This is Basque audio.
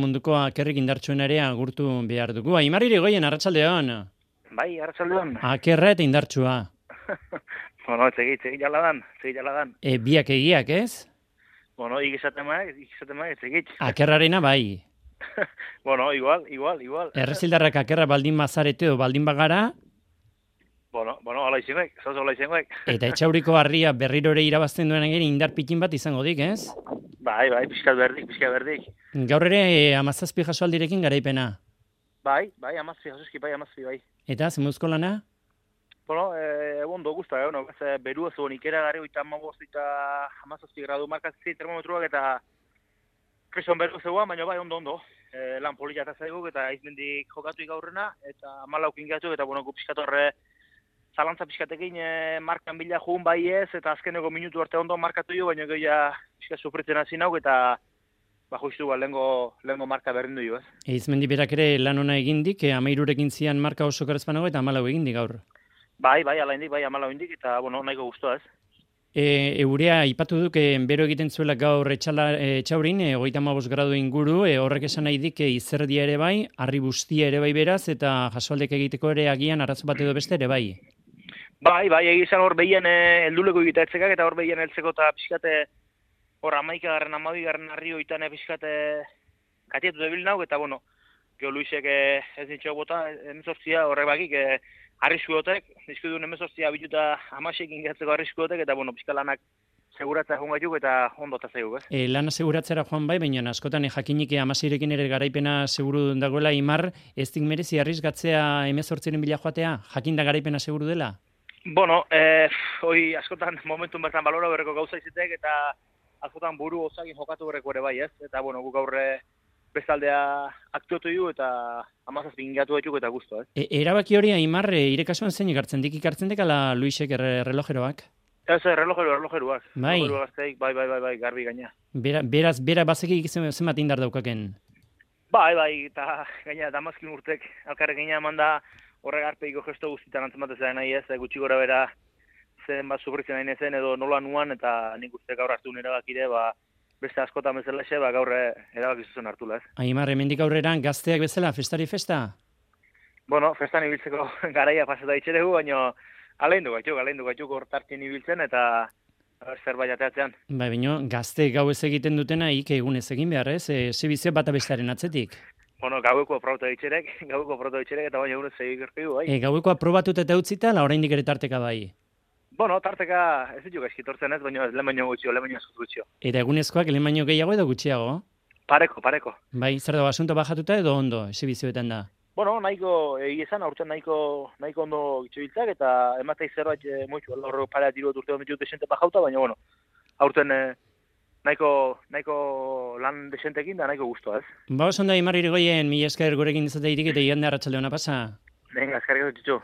Munduko akerrik indartsuen ere agurtu behar dugu. Aimar Irigoyen, arratsaldeon. Bai, arratsaldeon. Akerra eta indartsua. Bueno, segi jaladan. Biak egiak, ez? Bueno, ikizatema, segi. Akerrarena bai. Bueno, igual. Errezildarrak akerra baldin bazarete edo baldin bagara, Bueno, hola izengoek. eta etxauriko harria berriro ere irabazten duen ere indar pikin bat izango dik, ez? Bai, pixkat berdik. Gaur ere 17 jasoaldirekin garaipena. Bai, amazpi, bai. Eta, zemuzko lana? Bueno, ondo gusta, berua zuen ikera gare, 35 eta 17 gradu markatzen termometruak eta kreson beru zegoan, baina bai, ondo. Lan polita eta zaiguk eta izmendik jokatu gaurrena, eta 14 ingatu, eta bueno, pixkat horre zalantza pixkatekin markan bila jugun bai ez, eta azkeneko minutu arte ondo markatu jo, baina gehiago pixkat sufritzen hasi nauk, eta justu lehengo marka berdindu jo, ez. Izmendi berak ere lan ona egindik, 13rekin zian marka oso kerezpanago eta 14 egindik gaur. Bai, ala indik, 14 indik, eta bueno, nahiko guztua, ez. Eurea ipatu duk, bero egiten zuela gaur etxaurin, 35 gradu inguru, horrek esan nahi dik izerdia ere bai, harri bustia ere bai beraz, eta jasoaldek egiteko ere agian arazo bat edo beste ere bai. Bai, egizan hor behien helduleko egita etzekak, eta hor behien heltzeko eta pixkate hor 11garren, 12garren harri hoitan pixkate katietu debil nauk, eta bueno, geho Luisek ez nintxo bota, 18 horrek bakik, arriskuotek, dizkidun 18 bituta 16 ingatzeko arriskuotek, eta bueno, pixka lanak seguratzea joan gaituk eta ondo eta zeiguk, ez? Lana seguratzera joan bai, baina askotan jakinik 16rekin ere garaipena seguru dagoela Imar, ez dik merezi arrisgatzea 18ren bila joatea, jakinda garaipena seguru dela? Bueno, hoi askotan momentun bertan balora berreko gauza izetek, eta askotan buru osakin jokatu berreko ere bai, ez? Eta bueno, guk aurre bestaldea aktuatu du eta 17 ingatu gaituk eta guztu, ez? Erabaki hori Aimar, ire kasuan zein ikartzen dik ala Luisek relojeroak? Ez, relojeruak. Bai. Bai, garbi gaina. Bera bazekik zenbat indar daukaken? Bai, eta gaina Damaskin urtek alkarrek gaina eman da horrek arpeiko gesto guztitan antzematzea nahi ez, gutxi gora bera zen bat sufritzen nahi nezen edo nola nuan, eta nik uste gaur hartu erabakire, beste askotan bezalaxe, gaur erabaki zuzen hartula, ez. Aimar, hemendik aurrera gazteak bezala, festari festa? Bueno, festan ibiltzeko garaia pasata itxeregu, baina aleindu gaituk hortartien ibiltzen, eta zerbait ateatzean. Bai, baina gazte gau ez egiten dutena ik egunez egin behar, ez? Zebizio bata bestearen atzetik. Bueno, gaueko aprobatu ditxerek, eta baina egunez egin gertu, bai. Gaueko aprobatuta eta utzita, la oraindik ere tarteka bai. Bueno, tarteka ez ditu gaizkitortzen ez, baina lehen baino gutxio. Eta egunezkoak lehen baino gehiago edo gutxiago? Pareko. Bai, zer dago, asunto bajatuta edo ondo, exhibizioetan da? Bueno, nahiko egizan, aurten nahiko ondo gitxobiltzak, eta ematei zerbait moitzu, horro parea tiru urte hon ditut desente bajauta, baina bueno, aurten nahiko lan desentekin da nahiko guztua, ez? Ba, oso ondo Aimar Irigoyen, mila esker gurekin izate irik eta igande arratsalde ona pasa. Venga, eskerrik asko, Txutxu.